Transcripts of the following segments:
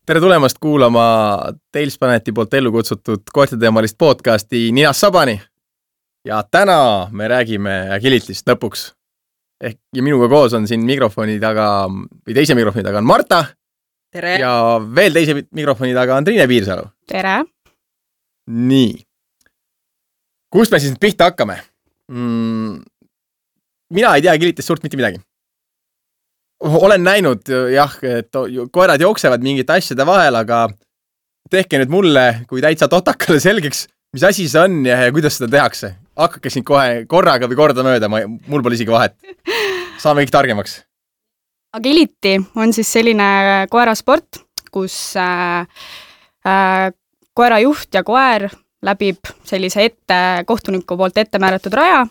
Tere tulemast kuulama Tailsplaneti poolt ellu kutsutud koerteteemalist podcasti Ninast Sabani. Ja täna me räägime agility'st lõpuks. Ja minuga koos on siin mikrofoni taga, või teise mikrofoni taga on Marta. Tere. Ja veel teise mikrofoni taga on Triine Piirsalu. Tere. Nii. Kust me siis pihta hakkame? Mina ei tea agility'st suurt mitte midagi. Olen näinud, jah, et koerad jooksevad mingite asjade vahel, aga tehke nüüd mulle, kui täitsa totakale selgeks, mis asi see on ja kuidas seda tehakse. Hakkake siin kohe korraga või korda mööda, mul pole isegi vahet. Saame kõik targemaks. Agility on siis selline koerasport, kus koera juht ja koer läbib sellise kohtuniku poolt ette määratud raja.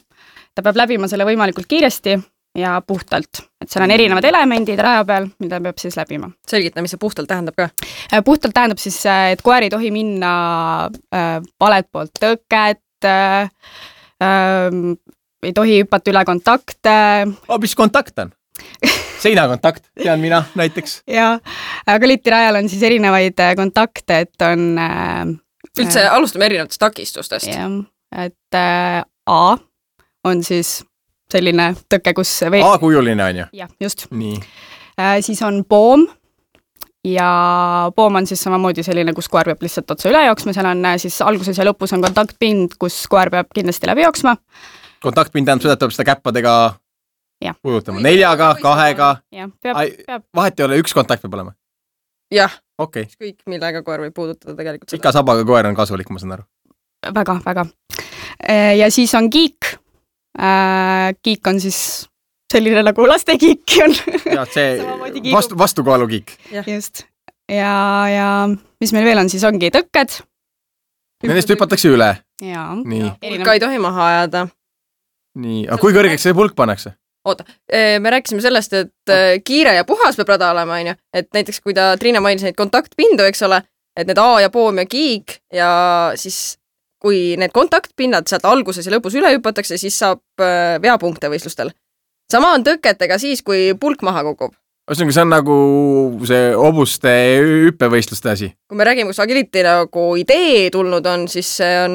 Ta peab läbima selle võimalikult kiiresti ja puhtalt. Et seal on erinevad elemendid raja peal, mida peab siis läbima. Selgita, mis see puhtalt tähendab ka? Puhtalt tähendab siis, et koer ei tohi minna valet poolt tõket, ei tohi hüppata üle kontakte. Mis kontakt on? Seinakontakt, tean mina näiteks. Ja agility rajal on siis erinevaid kontakte, et on... Üldse alustame erinevatest takistustest. Jah, et A on siis selline tõkke, kus... A-kujuline on ju? Jah, just. Nii. Siis on poom ja poom on siis samamoodi selline, kus koer peab lihtsalt otsa üle jooksma. Seal on siis alguses ja lõpus on kontaktpind, kus koer peab kindlasti läbi jooksma. Kontaktpind tähendab seda, et peab seda käppadega puudutama. 4-ga, 2-ga. Peab. Vahet ei ole, üks kontakt peab olema? Jah. Okay. Kõik, millega koer võib puudutada tegelikult seda. Ikka sabaga koer on kasulik, ma saan aru. Väga, väga. Ja siis on kiik. Kiik on siis selline nagu lastekiik on. Ja see vastukaalu kiik. Just. Ja mis meil veel on, siis ongi tõkked. Nendest hüpatakse üle. Ja. Pulka ei tohi maha ajada. Nii, aga kui kõrgeks see pulk pannakse? Oota, me rääkisime sellest, et kiire ja puhas peab rada olema, on ju. Et näiteks kui Triina mainis neid kontaktpindu, eks ole, et need A ja poom ja kiik ja siis kui need kontaktpinnad sealt alguses ja lõpus üle hüpatakse, siis saab veapunkte võistlustel. Sama on tõketega siis, kui pulk maha kukub. Ühesõnaga, see on nagu see obuste hüppevõistluste asi. Kui me räägime, kus agility nagu idee tulnud on, siis see on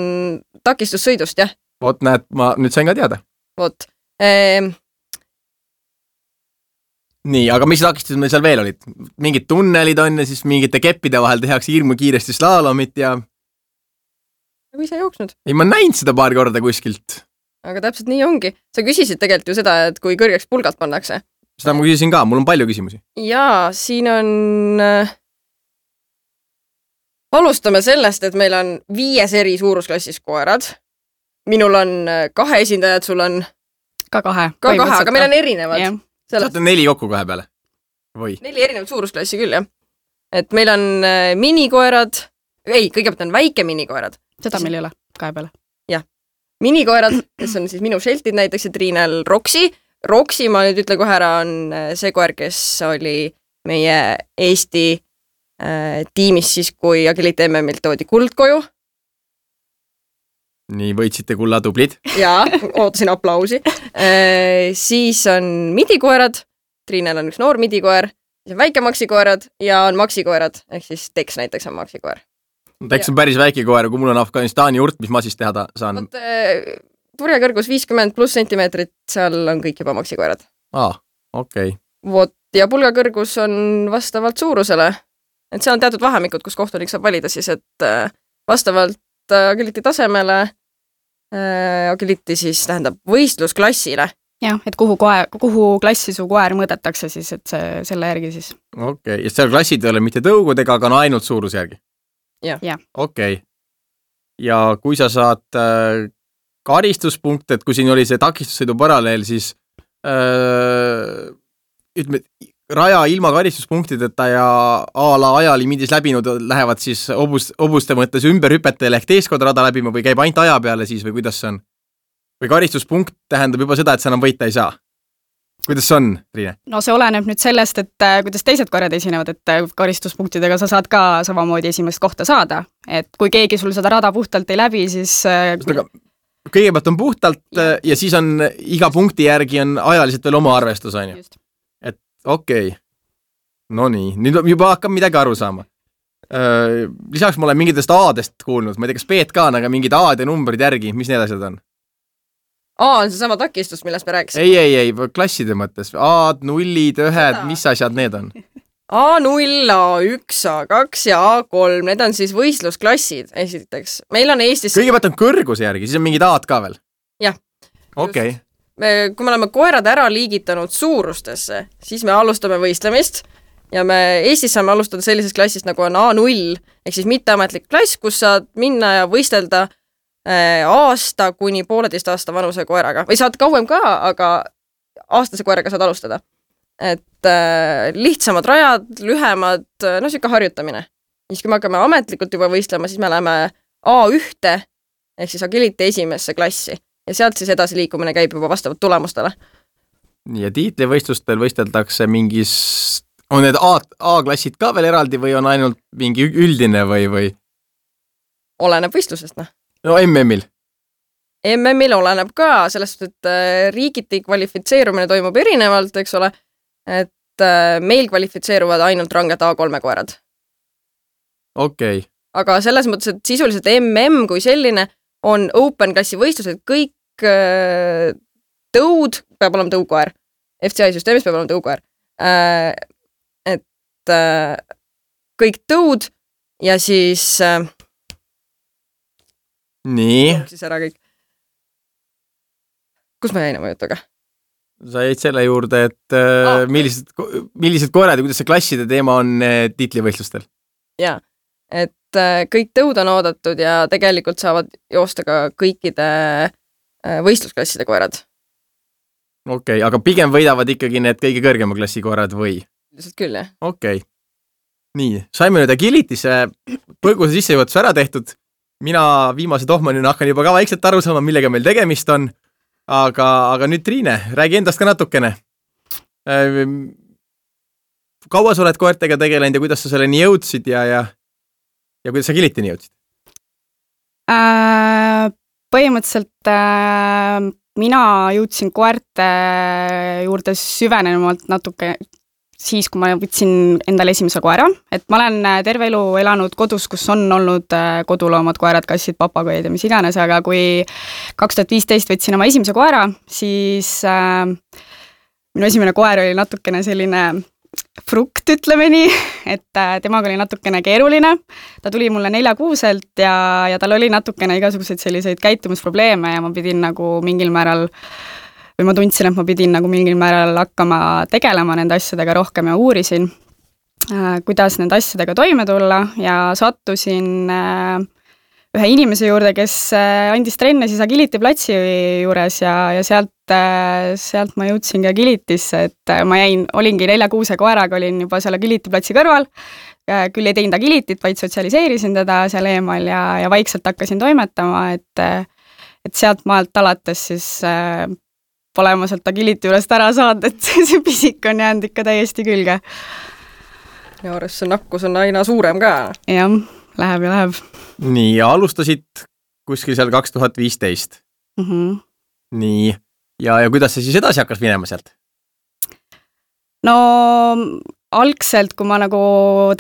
takistussõidust, jah. Vot näed, ma nüüd sain ka teada. Vot. Nii, aga mis takistused meil seal veel olid? Mingid tunnelid on ja siis mingite keppide vahel tehakse hirmu kiiresti slaalomit ja... Või sa jooksnud? Ei, ma näin seda paar korda kuskilt. Aga täpselt nii ongi. Sa küsisid tegelikult ju seda, et kui kõrgeks pulgalt pannakse. Seda ma küsisin ka, mul on palju küsimusi. Jaa, siin on... Alustame sellest, et meil on 5 eri suurusklassis koerad. Minul on 2 esindajad, sul on... Ka 2. Ka 2, aga meil on erinevad. Yeah. Saate 4 kokku 2 peale? Või? 4 erinevat suurusklassi küll, jah. Et meil on minikoerad... Ei, kõigepealt on väike minikoerad. Seda meil ei ole 2 peale. Jah. Minikoerad, kes on siis minu Sheltid näiteks ja Triinel Roksi. Roksi, ma nüüd ütle kohe ära, on see koer, kes oli meie Eesti tiimis siis, kui Agility MM-ilt toodi kuld koju. Nii, võitsite kulla tublid. Jaa, ootasin aplausi. Siis on midikoerad. Triinel on üks noor midikoer. Siis on väike maksikoerad ja on maksikoerad. Ehk siis Tex näiteks on maksikoer. Tex on päris väike koer, kui mul on Afganistani urt, mis ma siis teha saan? Turjakõrgus 50 plus sentimeetrit, seal on kõik juba maksikoerad. Okei. Vot, ja pulgakõrgus on vastavalt suurusele. Et seal on teatud vahemikud, kus kohtunik saab valida siis, et vastavalt agility tasemele, agility siis tähendab võistlusklassile. Jah, et kuhu klassi su koer mõõdetakse siis, et selle järgi siis. Okei, ja seal klassid ei ole mitte tõugudega, aga on ainult suurus järgi? Jah. Okei. Ja kui sa saad karistuspunkte, et kui siin oli see takistussõidu paralleel, siis ütleme, raja ilma karistuspunktideta ja ajalimiidis läbinud lähevad siis obuste mõttes ümber hüpetel ehk teeskord rada läbima või käib ainult aja peale siis või kuidas see on? Või karistuspunkt tähendab juba seda, et sa enam võita ei saa? Kuidas on, Triine? No see oleneb nüüd sellest, et kuidas teised koerad esinevad, et karistuspunktidega sa saad ka samamoodi esimest kohta saada. Et kui keegi sul seda rada puhtalt ei läbi, siis... Kõigepealt on puhtalt ja siis on iga punkti järgi on ajaliselt veel oma arvestus, on ju. Et okei. No nii, nüüd juba hakkab midagi aru saama. Lisaks ma olen mingitest A-dest kuulnud, ma ei tea, kas B-d ka on, aga mingid A-d ja numbrid järgi, mis need asjad on? A on see sama takistus, millest me rääkisime. Ei, klasside mõttes. A-d, nullid, ühed, mis asjad need on? A0, A1, A2 ja A3, need on siis võistlusklassid esiteks. Meil on Eestis... Kõigepealt on kõrguse järgi, siis on mingid A-d ka veel? Jah. Okei. Kui me oleme koerad ära liigitanud suurustesse, siis me alustame võistlemist ja me Eestis saame alustada sellisest klassist, nagu on A0, ehk siis mitteametlik klass, kus saad minna ja võistelda aasta kuni 1,5 aasta vanuse koeraga. Või saad kauem ka, aga aastase koeraga saad alustada. Et lihtsamad rajad, lühemad, siuke harjutamine. Siis kui me hakkame ametlikult juba võistlema, siis me läheme A1 ehk siis agility esimesse klassi ja sealt siis edasi liikumine käib juba vastavalt tulemustele. Nii, ja tiitlivõistlustel võisteldakse mingis... On need A-klassid ka veel eraldi või on ainult mingi üldine või? Oleneb võistlusest, No MM-il? MM-il oleneb ka, sellest, et riigiti kvalifitseerumine toimub erinevalt, eks ole, et meil kvalifitseeruvad ainult ranged A3 koerad. Okei. Aga selles mõttes, et sisuliselt MM kui selline on open klassi võistlused, kõik tõud, peab olema tõukoer. FCI süsteemis peab olema tõukoer. Et kõik tõud ja siis... Nii. Siis ära kõik. Kus me jäime jutuga? Sa jäid selle juurde, et millised koerad ja kuidas see klasside teema on tiitlivõistlustel? Jaa, et kõik tõud on oodatud ja tegelikult saavad joosta ka kõikide võistlusklasside koerad. Okei, aga pigem võidavad ikkagi need kõige kõrgema klassi koerad või? Lihtsalt küll, jah. Okei. Nii, saime nüüd agilitise põgusa sissejuhatuse ära tehtud. Mina viimase tohmanina hakkan juba ka vaikselt aru saama, millega meil tegemist on. Aga nüüd Triine, räägi endast ka natukene. Kaua sa oled koertega tegelenud ja kuidas sa selleni jõudsid ja kuidas sa agilitini jõudsid? Põhimõtteliselt mina jõudsin koerte juurde süvenenumalt natuke siis, kui ma võtsin endale esimese koera, et ma olen terve elu elanud kodus, kus on olnud koduloomad, koerad, kassid, papagoid ja mis iganes, aga kui 2015 võtsin oma esimese koera, siis minu esimene koer oli natukene selline frukt, ütleme nii, et temaga oli natukene keeruline. Ta tuli mulle 4-kuuselt ja tal oli natukene igasuguseid selliseid käitumusprobleeme ja ma pidin nagu mingil määral või ma tundsin, et ma pidin nagu mingil määral hakkama tegelema nende asjadega rohkem ja uurisin, kuidas nende asjadega toime tulla ja sattusin ühe inimese juurde, kes andis trenne siis agility platsi juures ja sealt ma jõudsingi agilitisse, et ma olingi 4-kuuse koeraga, olin juba seal agility platsi kõrval, küll ei teinud agilitit, vaid sotsialiseerisin teda seal eemal ja vaikselt hakkasin toimetama, et sealt maalt alates siis pole ma sealt agility juurest ära saanud, et see pisik on jäänud ikka täiesti külge. Ja arvest see nakkus on aina suurem ka. Jah, läheb ja läheb. Nii, ja alustasid kuskil seal 2015. Nii, ja kuidas see siis edasi hakkas minema sealt? No algselt, kui ma nagu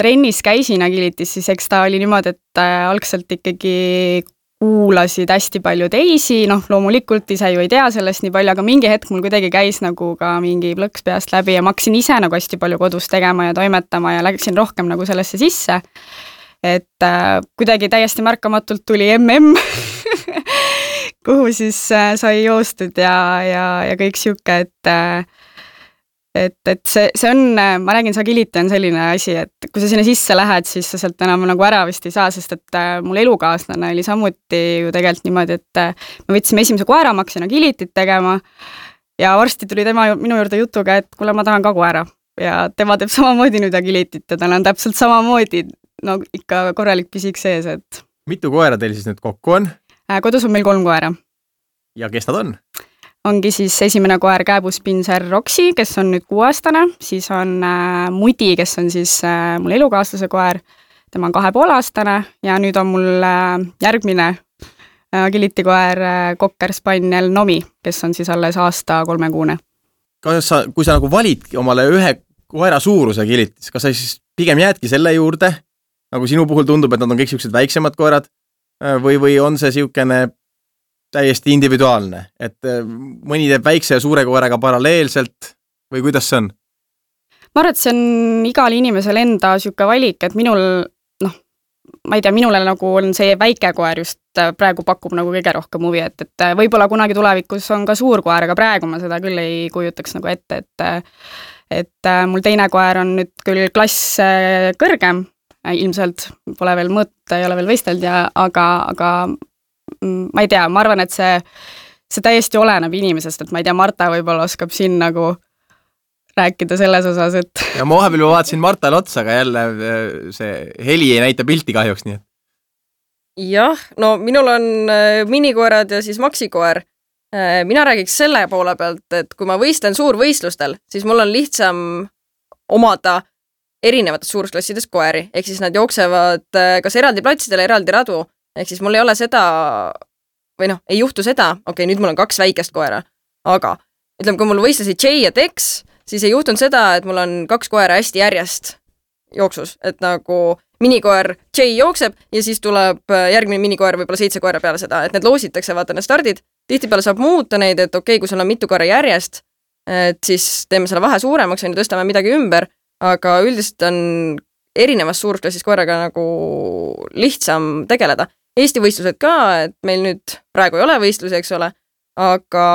trennis käisin agilitis, siis eks ta oli niimoodi, et algselt ikkagi kuulasid hästi palju teisi, loomulikult ise ju ei tea sellest nii palju, aga mingi hetk mul kuidagi käis nagu ka mingi plõks peast läbi ja ma hakkasin ise nagu hästi palju kodus tegema ja toimetama ja läksin rohkem nagu sellesse sisse. Et kuidagi täiesti märkamatult tuli MM, kuhu siis sai joostud ja kõik siuke, et see on, ma räägin, see agility on selline asi, et kui sa sinna sisse lähed, siis sa sealt enam nagu ära vist ei saa, sest et mul elukaaslane oli samuti ju tegelikult niimoodi, et me võtsime esimese koera, ma hakkasin agilityt tegema ja varsti tuli tema minu juurde jutuga, et kuule, ma tahan ka koera ja tema teeb samamoodi nüüd agilityt ja tal on täpselt samamoodi, ikka korralik pisik sees, et... Mitu koera teil siis nüüd kokku on? Kodus on meil 3 koera. Ja kes nad on? Ongi siis esimene koer Kääbuspinser Roksi, kes on nüüd 6-aastane, siis on Mudi, kes on siis mul elukaaslase koer, tema on 2,5-aastane ja nüüd on mul järgmine agility koer Kokker Spaniel Nomi, kes on siis alles aasta 3-kuune. Kui sa nagu valid omale ühe koera suuruse agilitis, kas sa siis pigem jäädki selle juurde nagu sinu puhul tundub, et nad on kõik siuksed väiksemad koerad või on see siukene täiesti individuaalne, et mõni teeb väikse ja suure koeraga paralleelselt või kuidas see on? Ma arvan, et see on igal inimesel enda siuke valik, et minul, ma ei tea, minule nagu on see väike koer just praegu pakub nagu kõige rohkem huvi, et võib-olla kunagi tulevikus on ka suur koer, aga praegu ma seda küll ei kujutaks nagu ette, et mul teine koer on nüüd küll klass kõrgem, ilmselt pole veel mõõta, ei ole veel võistelnud, aga ma ei tea, ma arvan, et see täiesti oleneb inimesest, et ma ei tea, Marta võib-olla oskab siin nagu rääkida selles osas, et... Ja ma vahepeal vaatasin Martale otsa, aga jälle see heli ei näita pilti kahjuks, nii et... Jah, no minul on minikoerad ja siis maksikoer. Mina räägiks selle poole pealt, et kui ma võistlen suurvõistlustel, siis mul on lihtsam omada erinevates suurusklassides koeri, ehk siis nad jooksevad kas eraldi platsidele, eraldi radu, ehk siis mul ei ole seda, või ei juhtu seda, nüüd mul on 2 väikest koera, aga ütleme, kui mul võistlesid Jay ja Tex, siis ei juhtunud seda, et mul on 2 koera hästi järjest jooksus, et nagu minikoer Jay jookseb ja siis tuleb järgmine minikoer võib-olla 7 koera peale seda, et need loositakse, vaata need stardid, tihtipeale saab muuta neid, et kui sul on mitu koera järjest, et siis teeme selle vahe suuremaks ja tõstame midagi ümber, aga üldiselt on erinevas suurusklassis koeraga nagu lihtsam tegeleda. Eesti võistlused ka, et meil nüüd praegu ei ole võistlusi, eks ole, aga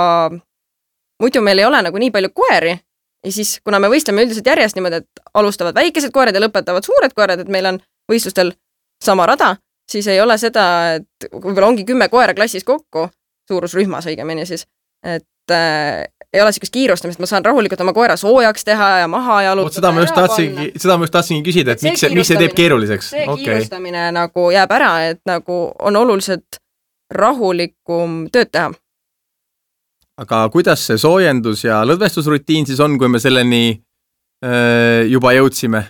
muidu meil ei ole nagu nii palju koeri ja siis, kuna me võistleme üldiselt järjest niimoodi, et alustavad väikesed koerad ja lõpetavad suured koerad, et meil on võistlustel sama rada, siis ei ole seda, et võib-olla ongi 10 koera klassis kokku, suurusrühmas õigemini siis, et ei ole sellist kiirustamist, ma saan rahulikult oma koera soojaks teha ja maha jalutada. Seda ma just tahtsingi küsida, et miks see teeb keeruliseks? See kiirustamine nagu jääb ära, et nagu on oluliselt rahulikum tööd teha. Aga kuidas see soojendus ja lõdvestusrutiin siis on, kui me selleni juba jõudsime?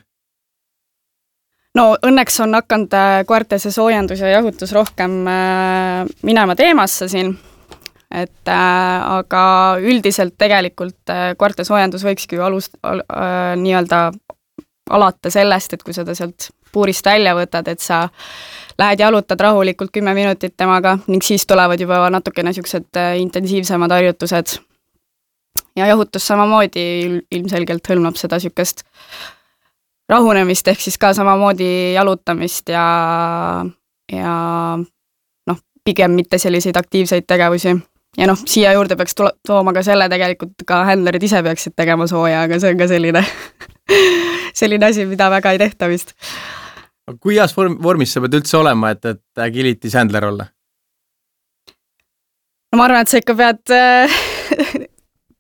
No õnneks on hakanud koerte see soojendus ja jahutus rohkem minema teemasse siin, et aga üldiselt tegelikult koerte soojendus võikski ju nii-öelda alata sellest, et kui seda sealt puurist välja võtad, et sa lähed jalutad rahulikult 10 minutit temaga ning siis tulevad juba natukene niisugused intensiivsemad harjutused. Ja jahutus samamoodi ilmselgelt hõlmab seda niisugust rahunemist, ehk siis ka samamoodi jalutamist ja pigem mitte selliseid aktiivseid tegevusi. Ja siia juurde peaks tooma ka selle, tegelikult ka handlerid ise peaksid tegema sooja, aga see on ka selline asi, mida väga ei tehta vist. Kui heas vormis sa pead üldse olema, et agility handler olla? No ma arvan, et sa ikka pead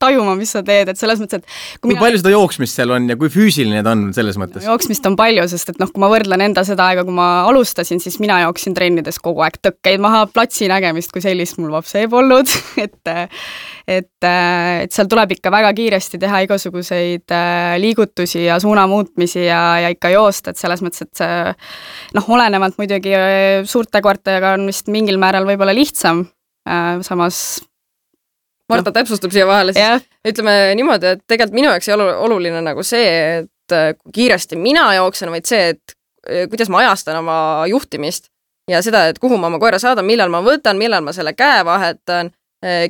tajuma, mis sa teed, et selles mõttes, et kui palju seda jooksmist seal on ja kui füüsiline ta on selles mõttes? Jooksmist on palju, sest et kui ma võrdlen enda seda aega, kui ma alustasin, siis mina jooksin trennides kogu aeg tõkkeid maha, platsi nägemist kui sellist mul vapse ei polnud, et seal tuleb ikka väga kiiresti teha igasuguseid liigutusi ja suuna muutmisi ja ikka joosta, et selles mõttes, et see olenevalt muidugi suurte koertega on vist mingil määral võib-olla lihtsam, samas Marta täpsustab siia vahele, siis ütleme niimoodi, et tegelikult minu jaoks ei ole oluline nagu see, et kui kiiresti mina jooksen, vaid see, et kuidas ma ajastan oma juhtimist ja seda, et kuhu ma oma koera saadan, millal ma võtan, millal ma selle käe vahetan,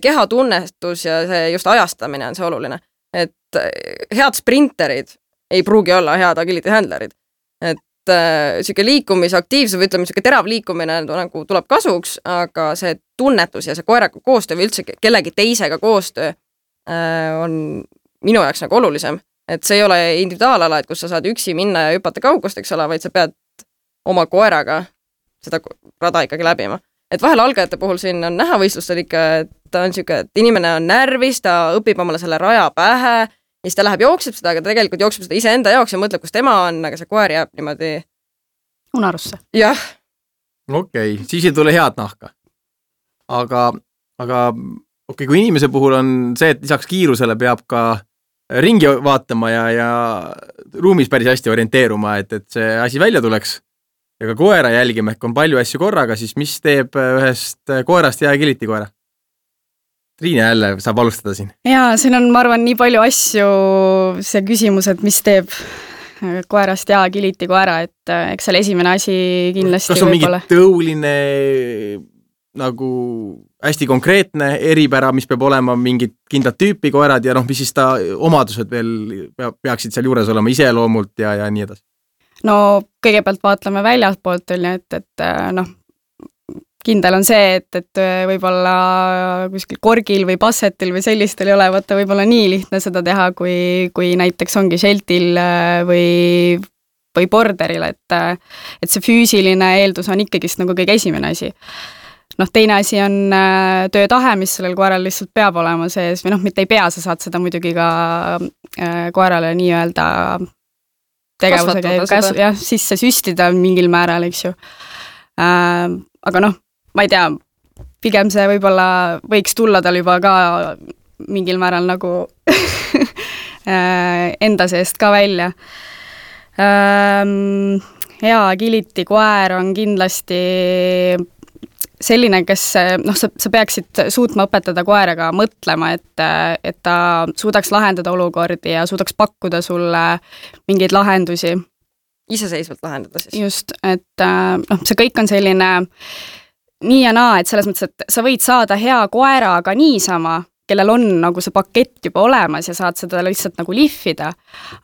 kehatunnetus ja see just ajastamine on see oluline. Et head sprinterid ei pruugi olla head agility handlerid. Et siuke liikumisaktiivsus või ütleme, siuke terav liikumine nagu tuleb kasuks, aga see tunnetus ja see koeraga koostöö või üldse kellegi teisega koostöö on minu jaoks nagu olulisem. Et see ei ole individuaalala, et kus sa saad üksi minna ja hüpata kaugust, eks ole, vaid sa pead oma koeraga seda rada ikkagi läbima. Et vahel algajate puhul siin on näha võistlustel ikka, et ta on siuke, et inimene on närvis, ta õpib omale selle raja pähe ja siis ta läheb jookseb seda, aga tegelikult jookseb seda ise enda jaoks ja mõtleb, kus tema on, aga see koer jääb niimoodi unarusse. Jah. Okei, siis ei tule head nahka. Aga kui inimese puhul on see, et lisaks kiirusele peab ka ringi vaatama ja ruumis päris hästi orienteeruma, et see asi välja tuleks ja ka koera jälgima, ehk on palju asju korraga, siis mis teeb ühest koerast ja agility koera? Triine jälle saab alustada siin. Jaa, siin on, ma arvan, nii palju asju see küsimus, et mis teeb koerast ja agility koera, et eks seal esimene asi kindlasti kas on mingi tõuline nagu hästi konkreetne eripära, mis peab olema mingid kindlad tüüpi koerad ja mis siis ta omadused veel peaksid seal juures olema iseloomult ja nii edasi? No kõigepealt vaatleme väljapoolt, et kindel on see, et võib-olla kuskil korgil või bassetil või sellistel ei ole vaata võib-olla nii lihtne seda teha, kui näiteks ongi sheltil või borderil, et see füüsiline eeldus on ikkagist nagu kõige esimene asi. Teine asi on töötahe, mis sellel koeral lihtsalt peab olema sees või mitte ei pea, sa saad seda muidugi ka koerale nii-öelda tegevusega sisse süstida mingil määral, eks ju. Aga ma ei tea, pigem see võib-olla võiks tulla tal juba ka mingil määral nagu enda seest ka välja. Ja agility koer on kindlasti selline, kes sa peaksid suutma õpetada koeraga mõtlema, et ta suudaks lahendada olukordi ja suudaks pakkuda sulle mingeid lahendusi. Iseseisvalt lahendada siis. Just, et see kõik on selline nii ja naa, et selles mõttes, et sa võid saada hea koera ka niisama, kellel on nagu see pakett juba olemas ja saad seda lihtsalt nagu lihvida,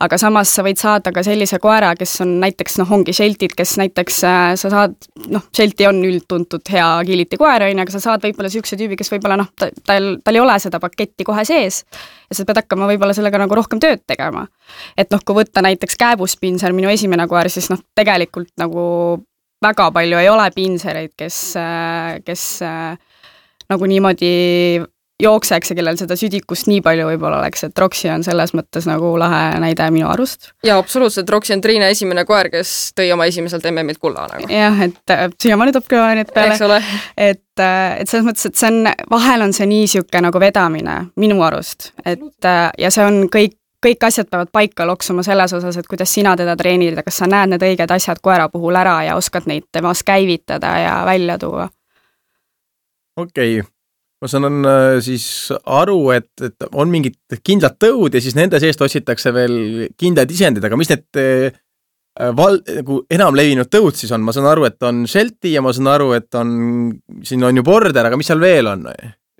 aga samas sa võid saada ka sellise koera, kes on näiteks, ongi sheltid, kes näiteks sa saad, shelti on üldtuntud hea agility koer, aga sa saad võib-olla siukse tüübi, kes võib-olla tal ei ole seda paketti kohe sees ja sa pead hakkama võib-olla sellega nagu rohkem tööd tegema. Et kui võtta näiteks kääbuspinser, minu esimene koer, siis tegelikult nagu väga palju ei ole pinsereid, kes nagu niimoodi jookseks ja kellel seda südikust nii palju võib-olla oleks, et Roxy on selles mõttes nagu lahe näide minu arust. Ja absoluutselt, Roxy on Triina esimene koer, kes tõi oma esimeselt MM-ilt kulla nagu. Jah, et siiamaani toob kõva nüüd peale. Et selles mõttes, et see on, vahel on see nii siuke nagu vedamine minu arust, et ja see on kõik asjad peavad paika loksuma selles osas, et kuidas sina teda treenida, kas sa näed need õiged asjad koera puhul ära ja oskad neid temas käivitada ja välja tuua. Okei. Ma saan siis aru, et on mingid kindlad tõud ja siis nende seest otsitakse veel kindlad isendid, aga mis need enam levinud tõud siis on? Ma saan aru, et on shelti ja ma saan aru, et siin on ju border, aga mis seal veel on?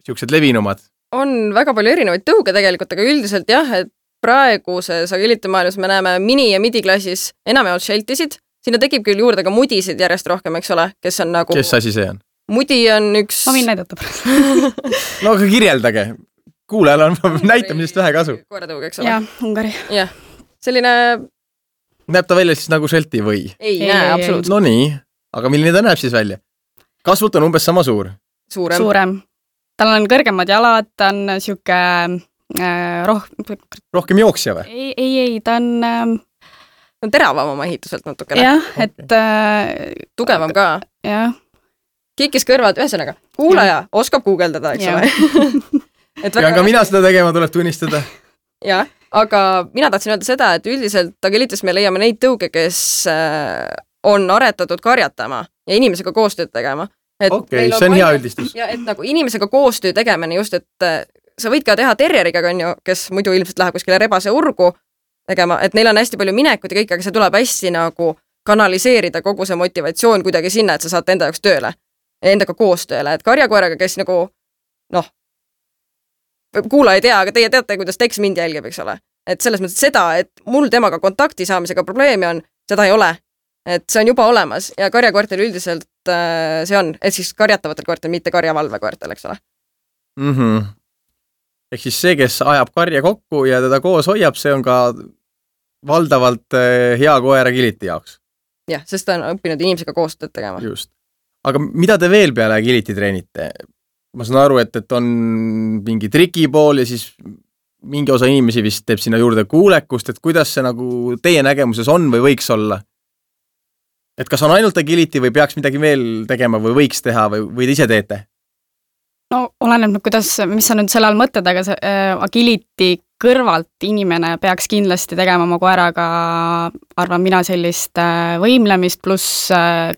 Siuksed levinumad? On väga palju erinevaid tõuge tegelikult, aga üldiselt jah, et praeguses agility maailmas me näeme mini- ja midi-klassis enamjaolt sheltisid, sinna tekib küll juurde ka mudisid järjest rohkem, eks ole, kes on nagu... Kes asi see on? Mudi on üks... Ma võin näidata pärast. No aga kirjeldage. Kuulajal on näitamisest vähe kasu. Koeratõug, eks ole? Jah, Ungari. Jah, selline... Näeb ta välja siis nagu shelti või? Ei näe, absoluutselt. No nii, aga milline ta näeb siis välja? Kasvult on umbes sama suur? Suurem. Tal on kõrgemad jalad, ta on siuke rohkem jooksja või? Ei, ta on... on teravam oma ehituselt natukene. Jah, et... tugevam ka. Jah. Kikis kõrvad, ühesõnaga, kuulaja oskab guugeldada, eks ole. Pean ka mina seda tegema, tuleb tunnistada. Jah, aga mina tahtsin öelda seda, et üldiselt agilitis me leiame neid tõuge, kes on aretatud karjatama ja inimesega koostööd tegema. Okei, see on hea üldistus. Ja et nagu inimesega koostöö tegemine just, et sa võid ka teha terrieriga, kes muidu ilmselt läheb kuskile rebase urgu tegema, et neil on hästi palju minekut ja kõik, aga see tuleb hästi nagu kanaliseerida kogu see motivatsioon kuidagi sinna, et sa saad enda jaoks tööle. Endaga koostööle, et karjakoeraga, kes nagu kuula ei tea, aga teie teate, kuidas Tex mind jälgib, eks ole. Et selles mõttes seda, et mul temaga kontakti saamisega probleemi on, seda ei ole. Et see on juba olemas ja karjakoertel üldiselt see on, et siis karjatavatel koertel, mitte karjavalvekoertel, eks ole. Ehk siis see, kes ajab karja kokku ja teda koos hoiab, see on ka valdavalt hea koera agility jaoks. Jah, sest ta on õppinud inimesega koostööd tegema. Just. Aga mida te veel peale agility treenite? Ma saan aru, et on mingi triki pool ja siis mingi osa inimesi vist teeb sinna juurde kuulekust, et kuidas see nagu teie nägemuses on või võiks olla? Et kas on ainult agility või peaks midagi veel tegema või võiks teha või te ise teete? No oleneb, mis sa nüüd selle all mõtled, aga see agility kõrvalt inimene peaks kindlasti tegema oma koeraga, arvan mina, sellist võimlemist pluss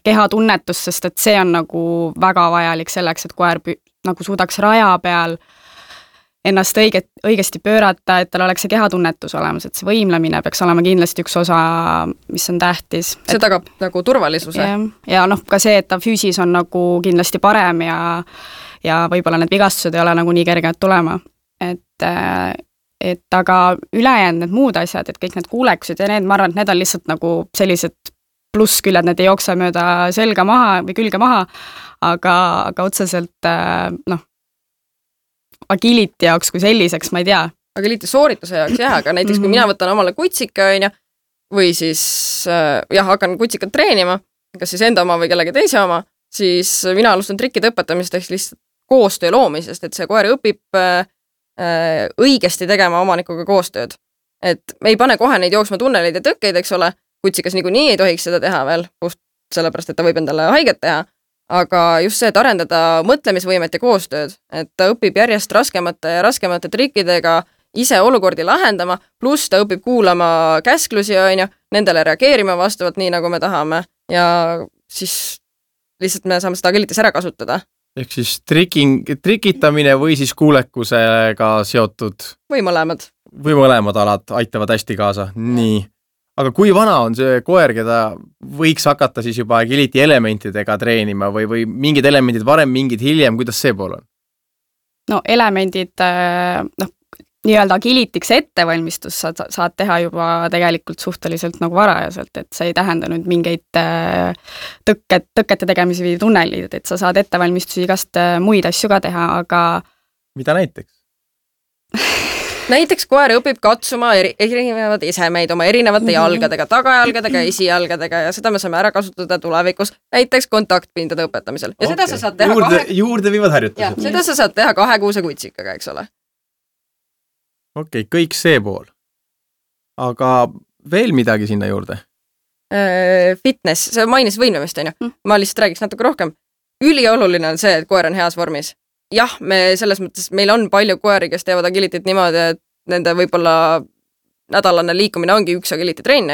kehatunnetust, sest et see on nagu väga vajalik selleks, et koer nagu suudaks raja peal ennast õigesti pöörata, et tal oleks see kehatunnetus olemas, et see võimlemine peaks olema kindlasti üks osa, mis on tähtis. See tagab nagu turvalisuse. Ja ka see, et ta füüsis on nagu kindlasti parem ja võib-olla need vigastused ei ole nagu nii kerged tulema. Et aga ülejäänud need muud asjad, et kõik need kuulekused ja need, ma arvan, et need on lihtsalt nagu sellised plussküljed, need ei jookse mööda selga maha või külge maha, aga otseselt agility jaoks kui selliseks, ma ei tea. Agility soorituse jaoks jah, aga näiteks kui mina võtan omale kutsika või siis hakkan kutsikat treenima, kas siis enda oma või kellegi teise oma, siis mina alustan trikkide õpetamist ehk lihtsalt koostöö loomisest, et see koer õpib õigesti tegema omanikuga koostööd. Et me ei pane kohe neid jooksma tunneleid ja tõkkeid, eks ole, kutsikas niikuinii ei tohiks seda teha veel, sellepärast, et ta võib endale haiget teha, aga just see, et arendada mõtlemisvõimet ja koostööd, et ta õpib järjest raskemate trikkidega ise olukordi lahendama, pluss ta õpib kuulama käsklusi, nendele reageerima vastavalt nii, nagu me tahame ja siis lihtsalt me saame seda agilitis ära kasutada. Ehk siis trikitamine või siis kuulekusega seotud? Või mõlemad. Või mõlemad alad aitavad hästi kaasa. Nii. Aga kui vana on see koer, keda võiks hakata siis juba agility elementidega treenima või mingid elemendid varem, mingid hiljem, kuidas see pool on? No elemendid, nii-öelda agilityks ettevalmistus saad teha juba tegelikult suhteliselt nagu varajaselt, et see ei tähenda nüüd mingeid tõkkete tegemisi või tunnelid, et sa saad ettevalmistusi igast muid asju ka teha, aga... Mida näiteks? Näiteks koer õpib katsuma erinevad esemeid oma erinevate jalgadega, tagajalgadega, esijalgadega ja seda me saame ära kasutada tulevikus näiteks kontaktpindade õpetamisel. Ja seda sa saad teha juurde viivad harjutused. Seda sa saad teha 2 kuuse kutsikaga, eks ole. Okei, kõik see pool. Aga veel midagi sinna juurde? Fitness, sa mainis võimlemist, ma lihtsalt räägiks natuke rohkem. Ülioluline on see, et koer on heas vormis. Jah, selles mõttes, meil on palju koeri, kes teevad agilitit niimoodi, et nende võib-olla nädalane liikumine ongi üks agility trenn,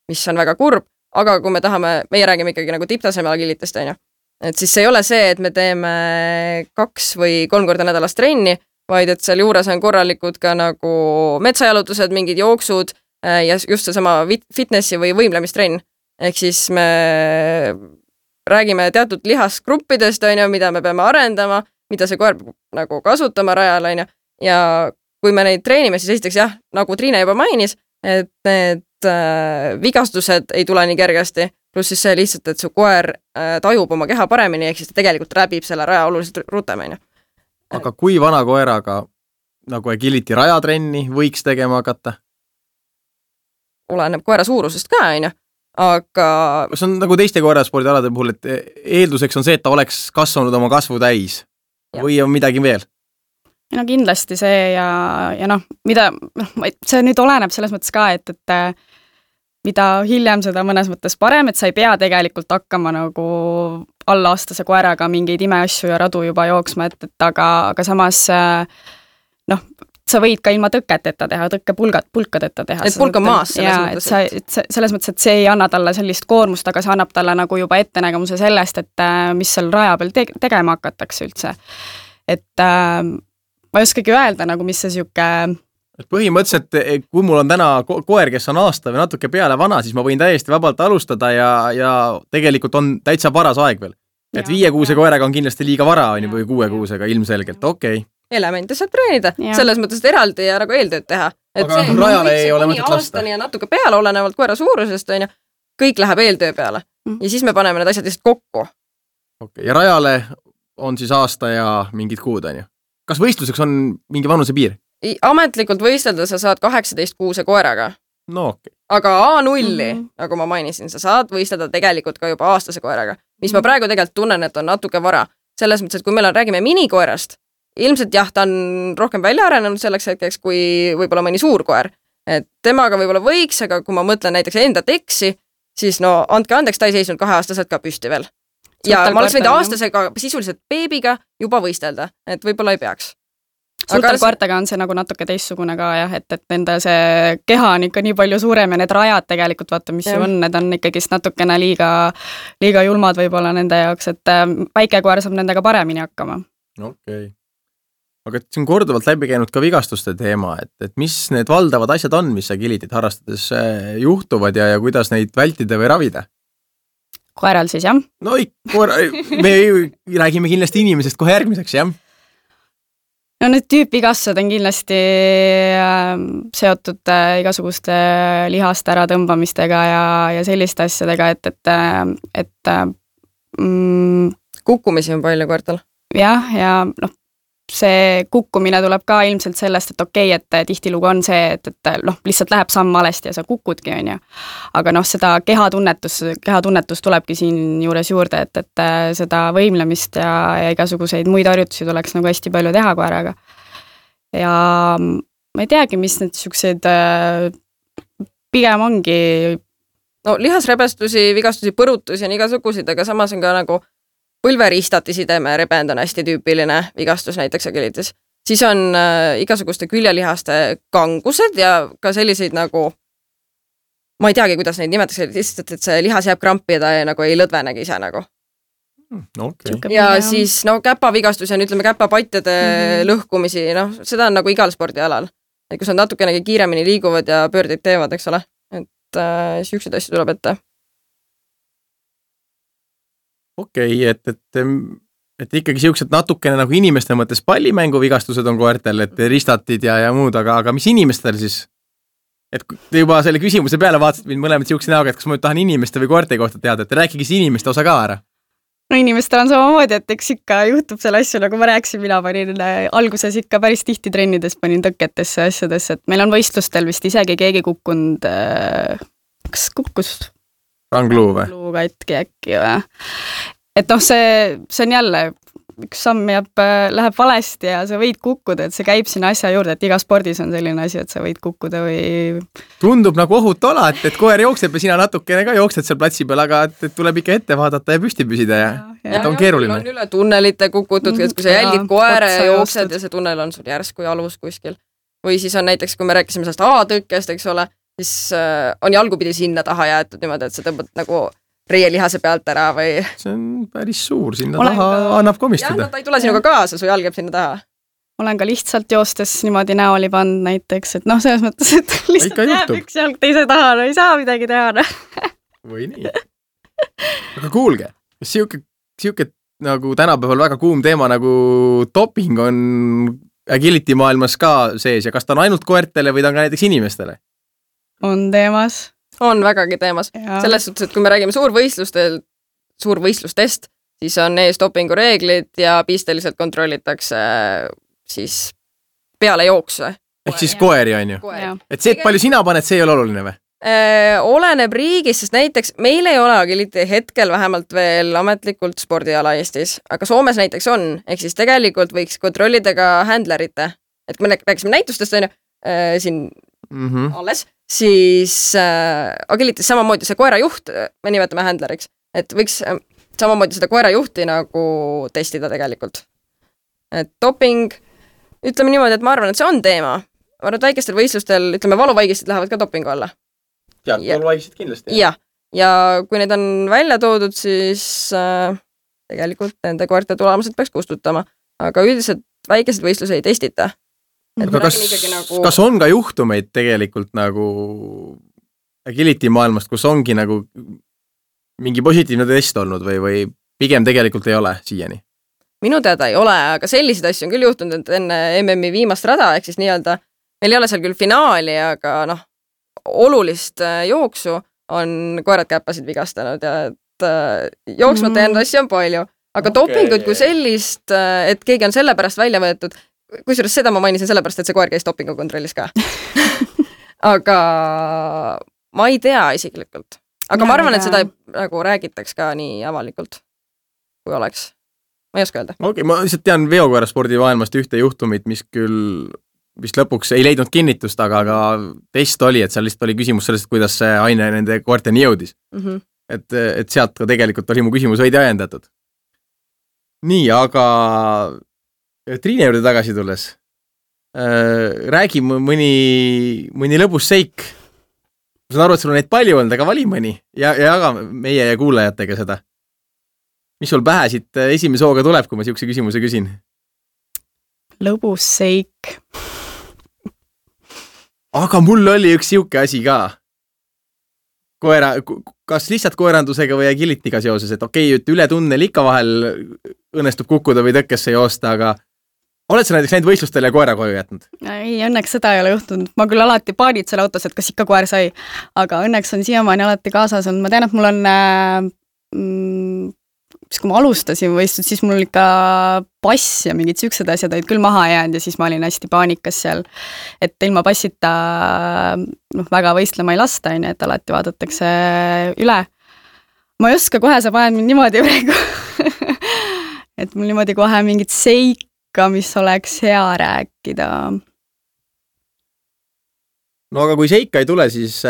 mis on väga kurb, aga kui me tahame, meie räägime ikkagi nagu tipptaseme agilitest, et siis ei ole see, et me teeme 2 või 3 korda nädalas trenni, vaid et seal juures on korralikud ka nagu metsajalutused, mingid jooksud ja just seesama fitnessi või võimlemistrenn. Ehk siis me räägime teatud lihasgruppidest, mida me peame arendama, mida see koer nagu kasutama rajal, ja kui me neid treenime, siis esiteks jah, nagu Triina juba mainis, et need vigastused ei tule nii kergesti, pluss siis see lihtsalt, et su koer tajub oma keha paremini, ehk siis ta tegelikult läbib selle raja oluliselt rutem. Aga kui vana koeraga nagu agility rajatrenni võiks tegema hakata? Oleneb koera suurusest ka, aga... See on nagu teiste koeraspordialade puhul, et eelduseks on see, et ta oleks kasvanud oma kasvu täis. Ja. Või on midagi veel? No kindlasti see ja see nüüd oleneb selles mõttes ka, et mida hiljem seda mõnes mõttes parem, et sa ei pea tegelikult hakkama nagu allaastase koeraga mingeid imeasju ja radu juba jooksma, aga samas sa võid ka ilma tõkketeta teha, tõkkepulkadeta teha. Et pulk on maas selles mõttes. Selles mõttes, et see ei anna talle sellist koormust, aga see annab talle nagu juba ettenägemuse sellest, et mis seal raja peal tegema hakatakse üldse. Et ma ei oskagi öelda, nagu mis see siuke... Põhimõtteliselt, kui mul on täna koer, kes on aasta või natuke peale vana, siis ma võin täiesti vabalt alustada ja tegelikult on täitsa paras aeg veel. Et 5 kuuse koeraga on kindlasti liiga vara või 6 kuusega ilmselgelt, okei. Elemente saab treenida, selles mõttes, et eraldi ja nagu eeltööd teha. Et aga see, rajale ei ole mõtet lasta. Ja natuke peale olenevalt koera suurusest, kõik läheb eeltöö peale. Ja siis me paneme need asjad lihtsalt kokku. Okay. Ja rajale on siis aasta ja mingid kuud, Kas võistluseks on mingi vanuse piir? Ametlikult võistelda sa saad 18 kuuse koeraga. No okei. Aga A0, nagu ma mainisin, sa saad võistelda tegelikult ka juba aastase koeraga. Mis ma praegu tegelikult tunnen, et on natuke vara. Selles mõttes, et kui meil räägime minikoerast, ilmselt jah, ta on rohkem välja arenenud selleks hetkeks, kui võib-olla mõni suur koer. Et temaga võib-olla võiks, aga kui ma mõtlen näiteks enda teksi, siis andke andeks, ta ei seisnud 2-aastaselt ka püsti veel. Ja ma oleks võinud aastasega sisuliselt beebiga juba võistelda, et võib-olla ei peaks. Sultarkoertega on see nagu natuke teissugune ka jah, et nende see keha on ikka nii palju suurem ja need rajad tegelikult vaata, mis ju on, need on ikkagist natukene liiga julmad võib-olla nende jaoks, et väike koer saab nendega paremini hakkama. Okei. aga siin korduvalt läbi käinud ka vigastuste teema, et mis need valdavad asjad on, mis agilityt harrastades juhtuvad ja kuidas neid vältida või ravida? Koeral siis, jah? No me räägime kindlasti inimesest kohe järgmiseks, jah? No need tüüpvigastused on kindlasti seotud igasuguste lihaste äratõmbamistega ja selliste asjadega, et kukkumisi on palju koertel. Jah, ja noh, see kukkumine tuleb ka ilmselt sellest, et okei, et tihtilugu on see, et lihtsalt läheb samm valesti ja sa kukudki, on ju. Aga noh, seda kehatunnetus tulebki siin juures juurde, et seda võimlemist ja igasuguseid muid harjutusi tuleks nagu hästi palju teha koeraga. Ja ma ei teagi, mis need siuksed pigem ongi. No lihasrebestusi, vigastusi, põrutusi on igasugusid, aga samas on ka nagu põlveristati sideme rebend on hästi tüüpiline vigastus näiteks agilitis. Siis on igasuguste küljelihaste kangused ja ka selliseid nagu, ma ei teagi, kuidas neid nimetakse, lihtsalt, et see lihas jääb krampi ja ta nagu ei lõdvenegi ise nagu. Okay. Ja siis käpavigastus ja ütleme käpapatjade lõhkumisi, seda on nagu igal spordialal. Et kus on natukenegi kiiremini liiguvad ja pöördeid teevad, eks ole. Et siukseid asju tuleb ette. Okei, et ikkagi siuksed natukene nagu inimeste mõttes pallimängu vigastused on koertel, et ristatid ja muud, aga mis inimestel siis? Et te juba selle küsimuse peale vaatasid mind mõlemad siukse näoga, et kas ma nüüd tahan inimeste või koerte kohta teada, et rääkige siis inimeste osa ka ära. No inimestel on samamoodi, et eks ikka juhtub selle asju, nagu ma rääkisin, mina panin alguses ikka päris tihti trennides panin tõketesse asjadesse, et meil on võistlustel vist isegi keegi kukkunud, kas kukkus? Rangluu või? Rangluu katki äkki või? Et see on jälle, üks samm läheb valesti ja sa võid kukkuda, et see käib sinna asja juurde, et iga spordis on selline asi, et sa võid kukkuda või... Tundub nagu ohutu ala, et koer jookseb ja sina natukene ka jooksed seal platsi peal, aga et tuleb ikka ette vaadata ja püsti püsida ja et on keeruline. On üle tunnelite kukutud, et kui sa jälgid koere ja jooksed ja see tunnel on sul järsku jalus kuskil. Või siis on näiteks, kui me rääkisime sellest A-tõkkest, eks ole, siis on jalgupidi sinna taha jäetud niimoodi, et sa tõmbad nagu reielihase pealt ära või... See on päris suur, sinna taha annab komistada. Jah, ta ei tule sinuga kaasa, su jalg jääb sinna taha. Olen ka lihtsalt joostes niimoodi näoli pannud näiteks, et selles mõttes, et lihtsalt jääb üks jalg teise taha, no ei saa midagi teha. Või nii. Aga kuulge, kas siuke nagu tänapäeval väga kuum teema nagu doping on agility maailmas ka sees ja kas ta on ainult koertele või ta on ka näiteks inimestele? On teemas. On vägagi teemas. Selles suhtes, et kui me räägime suurvõistlustest, siis on ees dopingu reeglid ja pisteliselt kontrollitakse siis peale jooksu. Ehk siis koeri on ju? Et see, et palju sina paned, see ei ole oluline või? Oleneb riigis, sest näiteks meil ei ole agility hetkel vähemalt veel ametlikult spordiala Eestis, aga Soomes näiteks on, ehk siis tegelikult võiks kontrollida ka handlerite. Et kui me rääkisime näitustest, siin alles, siis agilitis samamoodi see koerajuht, me nimetame handleriks, et võiks samamoodi seda koerajuhti nagu testida tegelikult. Et doping, ütleme niimoodi, et ma arvan, et see on teema. Ma arvan, et väikestel võistlustel, ütleme, valuvaigistid lähevad ka dopingu alla. Valuvaigistid kindlasti. Ja kui need on välja toodud, siis tegelikult nende koerte tulemused peaks kustutama. Aga üldiselt väikesed võistluse ei testita. Aga kas on ka juhtumeid tegelikult nagu agility maailmast, kus ongi nagu mingi positiivne test olnud või pigem tegelikult ei ole siiani? Minu teada ei ole, aga selliseid asju on küll juhtunud, et enne MM-i viimast rada, ehk siis nii-öelda, meil ei ole seal küll finaali, aga olulist jooksu on koerad käppasid vigastanud ja et jooksmata jäänud asju on palju. Aga dopingut kui sellist, et keegi on selle pärast välja võetud, kusjuures seda ma mainisin sellepärast, et see koer käis dopingu kontrollis ka. Aga ma ei tea isiklikult. Aga ma arvan, et seda nagu räägitaks ka nii avalikult, kui oleks. Ma ei oska öelda. Okei, ma lihtsalt tean veokoeraspordi maailmast ühte juhtumit, mis küll vist lõpuks ei leidnud kinnitust, aga test oli, et seal lihtsalt oli küsimus sellest, kuidas see aine nende koerteni jõudis. Et sealt ka tegelikult oli mu küsimus veidi ajendatud. Nii, aga Triine juurde tagasi tulles. Räägi mõni lõbus seik. Ma saan aru, et sul on neid palju olnud, aga vali mõni ja jaga meie ja kuulajatega seda. Mis sul pähe siit esimese hooga tuleb, kui ma siukse küsimuse küsin? lõbus seik. Aga mul oli üks siuke asi ka. Kas lihtsalt koerandusega või agility'ga seoses, et et üle tunnel ikka vahel õnnestub kukkuda või tõkkesse joosta, aga oled sa näiteks läinud võistlustele ja koera koju jätnud? Ei, õnneks seda ei ole juhtunud. Ma küll alati paanitsen autos, et kas ikka koer sai, aga õnneks on siiamaani alati kaasas olnud. Ma tean, et mul on kui ma alustasin võistlust, siis mul ikka pass ja mingid siuksed asjad olid küll maha jäänud ja siis ma olin hästi paanikas seal, et ilma passita väga võistlema ei lasta, et alati vaadatakse üle. Ma ei oska kohe, sa paned mind niimoodi praegu, et mul niimoodi kohe mingit seika, mis oleks hea rääkida. No aga kui seika ei tule, siis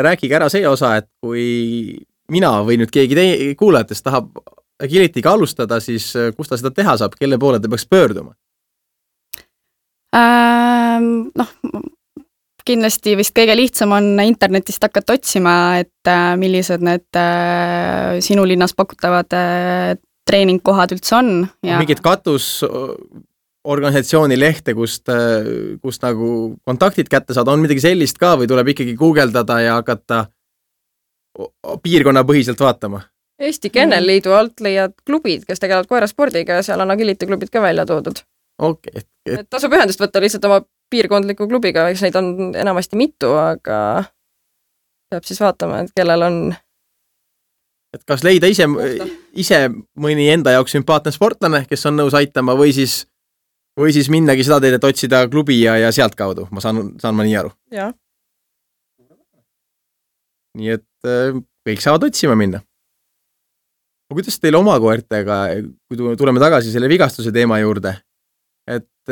rääkige ära see osa, et kui mina või nüüd keegi kuulajatest tahab agility'ga alustada, siis kus ta seda teha saab, kelle poole ta peaks pöörduma? Kindlasti vist kõige lihtsam on internetist hakata otsima, et millised need sinu linnas pakutavad treeningkohad üldse on. Ja mingid katusorganisatsiooni lehte, kust nagu kontaktid kätte saada, on midagi sellist ka või tuleb ikkagi guugeldada ja hakata piirkonna põhiselt vaatama? Eesti Kennelliidu alt leiad klubid, kes tegelevad koeraspordiga ja seal on agility klubid ka välja toodud. Okay. Et tasub ühendust võtta lihtsalt oma piirkondliku klubiga, eks neid on enamasti mitu, aga peab siis vaatama, et kellel on. Et kas leida ise mõni enda jaoks sümpaatne sportlane, kes on nõus aitama või siis minnagi seda teed, et otsida klubi ja sealt kaudu. Ma saan ma nii aru. Ja. Nii et kõik saavad otsima minna. Kuidas teil oma koertega, kui tuleme tagasi selle vigastuse teema juurde, et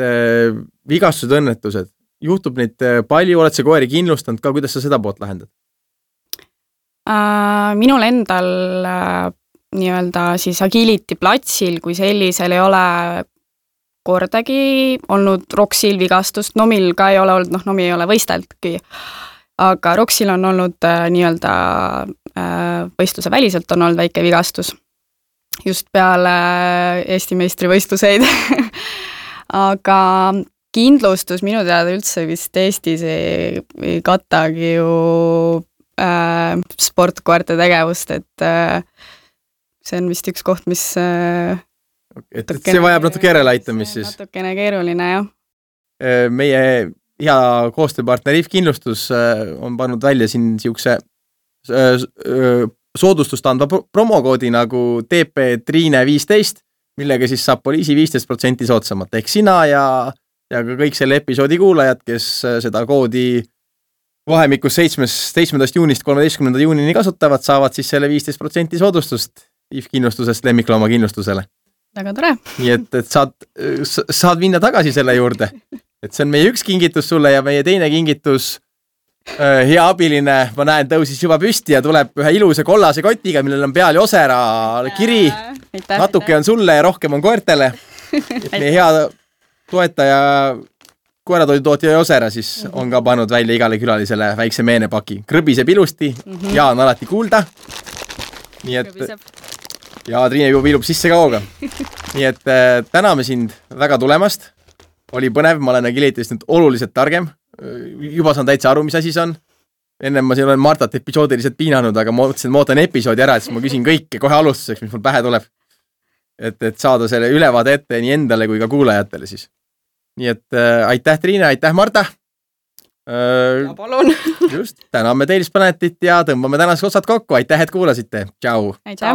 vigastused, õnnetused, juhtub neid palju, oled sa koeri kindlustanud ka, kuidas sa seda poolt lahendad? Minul endal nii-öelda siis agility platsil, kui sellisel ei ole kordagi olnud Roxil vigastust, Nomil ka ei ole olnud, Nomi ei ole võisteltki, aga Roxil on olnud nii-öelda võistluse väliselt on olnud väike vigastus just peale Eesti meistrivõistluseid. Aga kindlustus minu teada üldse vist Eestis ei katagi ju sportkoerte tegevust, et see on vist üks koht, mis see vajab natuke järeleaitamist siis. Natukene keeruline, jah. Meie hea koostööpartner If Kindlustus on pannud välja siin siukse soodustust andva promokoodi nagu TP Triine 15, millega siis saab poliisi 15% soodsamat. Ehk sina ja ka kõik selle episoodi kuulajad, kes seda koodi vahemikus 7. juunist 13. juunini kasutavad, saavad siis selle 15% soodustust If Kindlustusest lemmiklooma kindlustusele. Väga tore. Nii et saad minna tagasi selle juurde. Et see on meie üks kingitus sulle ja meie teine kingitus hea abiline, ma näen, tõusis juba püsti ja tuleb ühe ilusa kollase kotiga, millel on peal Josera kiri. Natuke on sulle ja rohkem on koertele. Et meie hea toetaja koeratoidutootja Josera siis on ka pannud välja igale külalisele väikse meenepaki. Krõbiseb ilusti, Jaan alati kuulda. Nii et ja Triine juba viilub sisse ka hooga. Nii et täname sind väga tulemast. Oli põnev, ma olen agilitist nüüd oluliselt targem. Juba saan täitsa aru, mis asi see on. Ennem ma siin olen Martat episoodiliselt piinanud, aga ma ootan episoodi ära, et siis ma küsin kõike kohe alustuseks, mis mul pähe tuleb. Et saada selle ülevaade ette nii endale kui ka kuulajatele siis. Nii et aitäh Triine, aitäh Marta. Ja palun. Just, täname Tales Planetit ja tõmbame tänaseks otsad kokku. Aitäh, et kuulasite. Tšau. Aitäh.